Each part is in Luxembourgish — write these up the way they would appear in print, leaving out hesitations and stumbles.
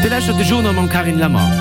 Dir lauschtert de Journal mam Carine Lemmer.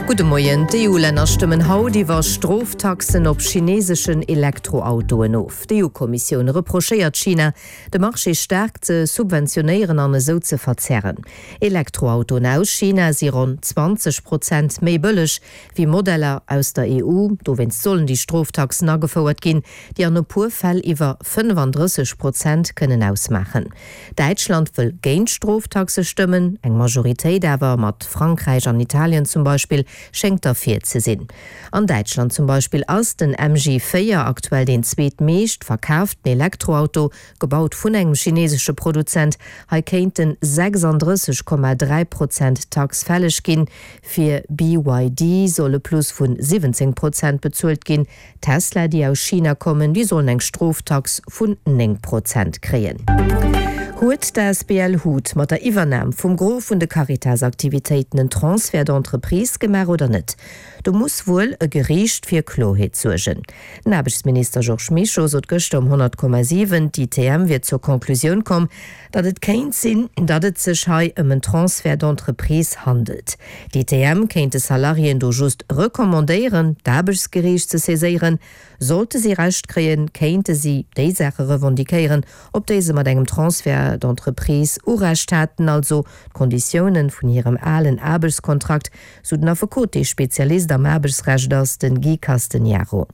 Gudde Moien. D'EU-Länner stëmmen haut iwwer Stroftaxen op chineseschen Elektroautoen of. D'EU-Kommissioun reprochéiert China, de Marché staark ze subventionéieren an esou ze verzerren. Elektroautoen aus China si ronn 20 Prozent méi bëlleg wéi Modeller aus der EU. Dowéinst sollen déi Stroftaxen agefouert ginn, déi an e puer Fäll iwwer 35 Prozent kënnen ausmaachen. Däitschland wëll géint Stroftaxe stëmmen, eng Majoritéit awer, mat Frankräich an Italien zum Beispill, schéngt derfir ze sinn. An Däitschland zum Beispill ass den MG 4 aktuell deen zweetmeescht verkaaften Elektroauto, gebaut vun engem chinesesche Produzent. Hei kéinten 36,3 Prozent Tax fälleg ginn. Fir BYD soll e Plus vun 17 Prozent bezuelt ginn. Tesla, déi aus China kommen, déi sollen eng Stroftax vun 9 Prozent kréien. Huet d'ASBL hut mat der Iwwernam vum Gros vun de Caritas-Aktivitéiten en Transfert d'entreprise gemaach oder net? Do muss wuel e Geriicht fir Kloerheet suergen. Den Aarbechtsminister Georges Mischo sot gëschter um 100,7, d'ITM wier zur Conclusioun komm, datt et kéint sinn, datt et sech hei ëm en Transfert d'entreprise handelt. D'ITM kéint de Salariéen do just recommandéieren, d'Aarbechtsgeriicht ze saiséieren. Sollte si Recht kréien, kéinte si déi Saache revendiquéieren, op déi se mat engem Transfert d'entreprise Urecht haten, also d'Konditiounen vun hirem alen Aarbechtskontrakt, sou den Affekot, dee Spezialist am Aarbechtsrecht ass, den Guy Castegnaro.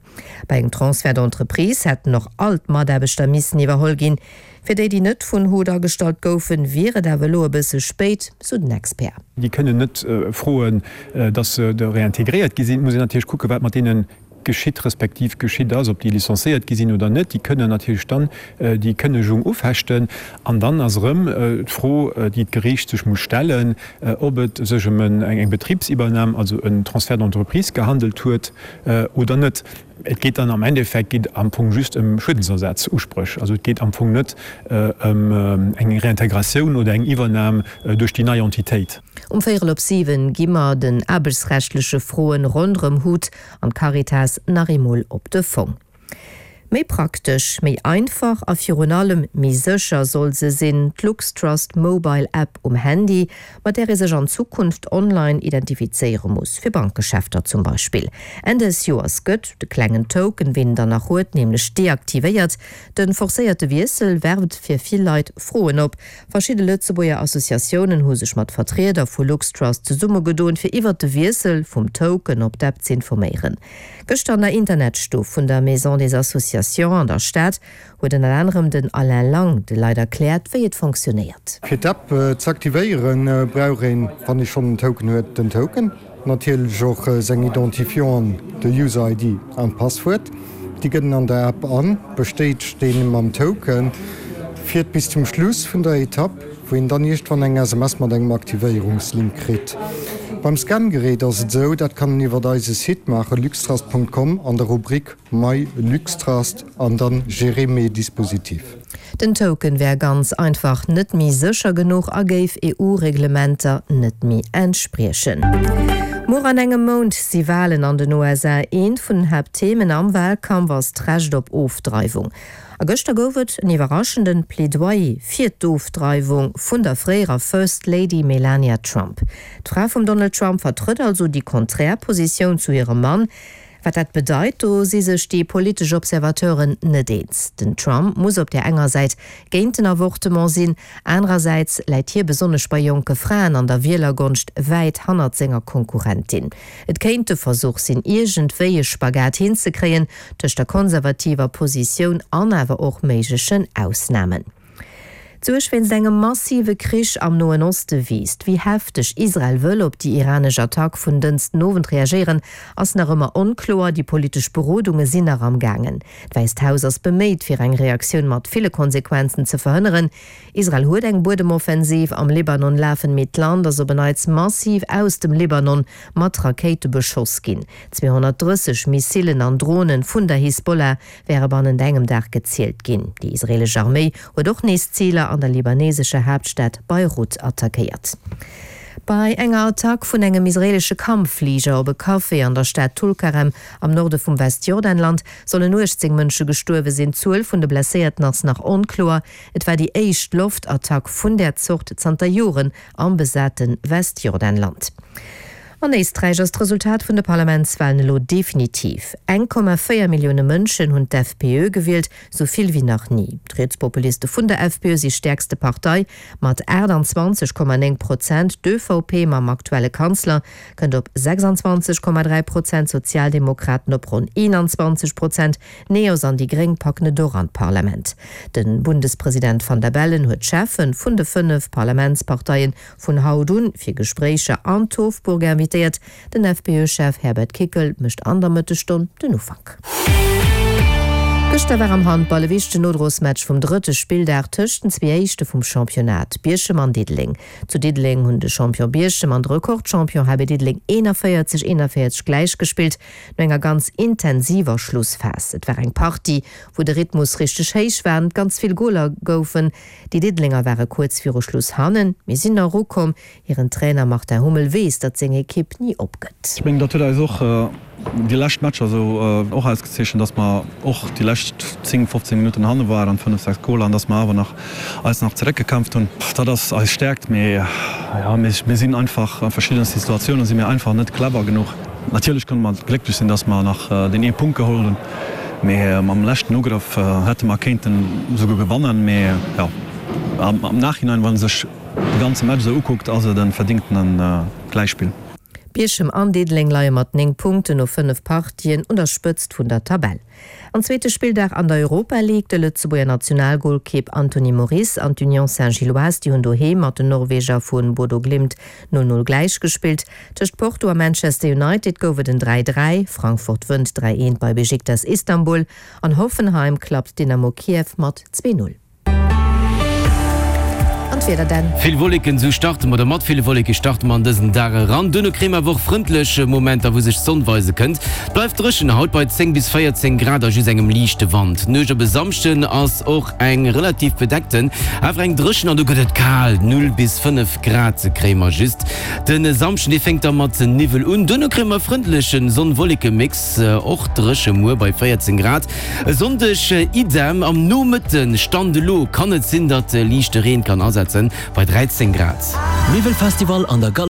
Bei engem Transfert d'entreprise hätten och all d'Mataarbechter missen iwwerholl ginn. Fir déi, déi net vun hut agestallt goufen, wier et awer elo e bësse spéit, sou den Expert. Déi kënnen net froen, datt se réintégréiert gi sinn. Et muss een natierlech kucken, wat mat deene geschitt respektiv geschitt ass, ob déi licenciéiert gi sinn oder net. Déi kënnen natierlech dann déi Kënnegung ufechten. An dann ass erëm d'Fro, déi d'Geriicht sech muss stellen, ob et sech ëm eng Betribsiwwernam, also en Transfert d'entreprise gehandelt huet oder net. Et geet dann am Endeffekt geet am Fong just ëm Schuedensersatzuspréch. Also et geet am Fong net ëm eng Réintégratioun oder eng Iwwernam duerch déi nei Entitéit. Um véierel op 7 gi mer den aarbechtsrechtleche Froen ronderëm hut an d'Caritas nach eemol op de Fong. Méi praktesch, méi einfach a virun allem méi sécher soll se sinn, d'LuxTrust Mobile App um Handy, mat där ee sech an Zukunft online identifizéiere muss, fir Bankgeschäfter zum Beispill. Enn des Joers gëtt de klengen Token, ween en dann nach huet, nämlech deaktivéiert. De forcéierte Wiessel werft fir vill Leit Froen op. Verschidde Lëtzebuerger Associatiounen hu sech mat Vertrieder vu LuxTrust zesummegedoen, fir iwwert de Wiessel vum Token op d'App z'informéieren. Gëschter an der Internetstuff vun der Maison des Associations an der Stad huet ënner anerem den Alain Lang de Leit erkläert, wéi et fonctionnéiert. Fir d'App z'aktivéieren, brauch een, wann ee schonn en Token huet, den Token, natierlech och seng Identifianten, de User ID an d'Passwuert. Déi gëtt en an der App an, bestätegt deen mam Token, fiert bis zum Schluss vun der Etapp, wou een dann iergendwann eng SMS mat engem Aktivéierungslink kritt. Beim Scangerät ass et esou, dat kann een iwwert eise Site maachen, luxtrust.com, an der Rubrik My Luxtrust an dann Gérer mes dispositifs. Den Token wär ganz einfach net méi sécher genuch a géif EU-Reglementer net méi entspriechen. Muer an engem Mount si Walen an den USA. Eent vun den Haaptthemen am Walkampf ass d'Recht op Ofdreiwung. A gëschter gouf et en iwwerraschenden Plädoyer fir d'Ofdreiwung vun der fréierer First Lady Melania Trump. D'Fra vum Donald Trump vertrëtt also déi konträr Positioun zu hirem Mann. Wat dat bedeit, do si sech déi politesch Observateuren net eens. Den Trump muss op där enger Säit géint den Avortement sinn, anerersäits läit hie besonnesch bei jonke Fraen an der Wielergonscht wäit hannert senger Konkurrentin. Et kéint de Versuch sinn, iergendwéi e Spagat hinzekréien tëscht der konservativer Positioun an awer och méiglechen Ausnamen. D'Suerg wéinst engem massive Krich am Noen Oste wiisst. Wéi hefteg Israel wëll op déi iranesch Attack vun Dënschden Owend reagéieren, ass nach ëmmer onkloer. Déi politesch Berodunge sinn nach am gaangen. D'Wäisst Haus ass beméit, fir eng Reaktioun mat ville Konsequenzen ze verhënneren. Israel huet eng Buedemoffensiv am Libanon lafen, mee d'Land ass op en Neits massiv aus dem Libanon mat Rakéite beschoss ginn. 230 Missilen an Dronen vun der Hisbollah wäre bannent engem Dag gezielt ginn. Déi israeelesch Arméi huet och nees Ziler an der libanesescher Haaptstad Beirut attackéiert. Bei enger Attack vun engem israeelesche Kampffliger op e Café an der Stad Tulkarem am Norde vum Westjordanland sollen 18 Mënsche gestuerwe sinn. D'Zuel vun de Blesséierten ass nach onkloer. Et war déi éischt Loftattack vun där Zort zanter Joren am besate Westjordanland. An Éisträich ass d'Resultat vun de Parlamentswalen elo definitiv. 1,4 Millioune Mënschen hunn d'FPÖ gewielt, sou vill wéi nach ni. D'Rietspopuliste vun der FPÖ si stäerkste Partei mat 28,9 Prozent. D'ÖVP mam aktuelle Kanzler kënnt op 26,3 Prozent, d'Sozialdemokraten op ronn 21 Prozent. D'Neos an déi Gréng packen et och an d'Parlament. De Bundespresident Van der Bellen huet d'Cheffe vun de 5 Parlamentsparteie vun haut un fir Gespréicher an d'Hofburg invitéiert. Den FPÖ-Chef Herbert Kickl mécht an der Mëttesstonn den Ufank. Gëschter war am Handball e wichtegen Nodrosmatch vum drëtte Spilldag tëscht den zwee Éischte vum Championnat, Bierchem an Diddeleng. Zu Diddeleng hunn de Champion Bierchem an de Rekordchampion HB Diddeleng 41, 41 gläichgespillt no enger ganz intensiver Schlussphas. Et war eng Partie, wou de Rhythmus richteg héich war an et ganz vill Goler goufen. Déi Diddelenger ware kuerz viru Schluss hannen, mee sinn nach erukomm. Hiren Trainer Martin Hummel weess, datt seng Ekipp ni opgëtt. Ech mengen, dat huet eis och déi lescht Matcher esou och ausgezeechent, datt mer och déi lescht 10, 15 Minutten hanne waren, 5, 6 Goler, an datt mer awer nach eis nach zeréckgekämpft hunn. Dat ass eis Stäerkt, mee jo, mir sinn einfach a verschiddene Situatiounen si mir einfach net clever genuch. Natierlech kënne mer glécklech sinn, datt mer nach deen ee Punkt geholl hunn, mee mam leschten Ugrëff hätte mer kéinten esouguer gewannen. Mee jo, am Nachhinein, wa sech de ganze Match esou ukuckt, ass et e verdingtene Gläichspill. Bierchem an Diddeleng leie mat 9 Punkten no 5 Partien un der Spëtzt vun der Tabell. An zweete Spilldag an der Europa League, de Lëtzebuerger Nationalgolkeep Anthony Moris an d'Union Saint-Gilloise, déi hunn doheem mat den Norweger vu Bodo Glimt 0, 0 gläichgespillt. Tëscht Porto a Manchester United gouf et en 3, 3, Frankfurt wënnt 3, 1 bei Besiktas Istanbul an Hoffenheim klappt Dynamo Kiew mat 2, 0. An d'Wieder denn? Vill Wolleken, sou starte mer, oder mat ville Wolleke starte mer an dësen Dag eran. Duerno kréie mer awer och frëndlech Momenter, wou sech d'Sonn weise kënnt. Et bleift dréchen haut bei 10 bis 14 Grad a just engem liichte Wand. D'Nuecht op e Samschden ass och eng relativ bedeckten, awer eng dréchen an do gëtt et kal, 0 bis 5 Grad kréie mer just. De Samschden, dee fänkt da mat Niwwel un, duerno kréie mer e frëndleche Sonn-Wolleke-Mix, och dréche muer bei 14 Grad. E Sonndeg idem, am Nomëtten, Stand elo, kann et sinn, datt liichte Reen kann asetzen, bei 13 Grad. Miwwelfestival an der Galerie.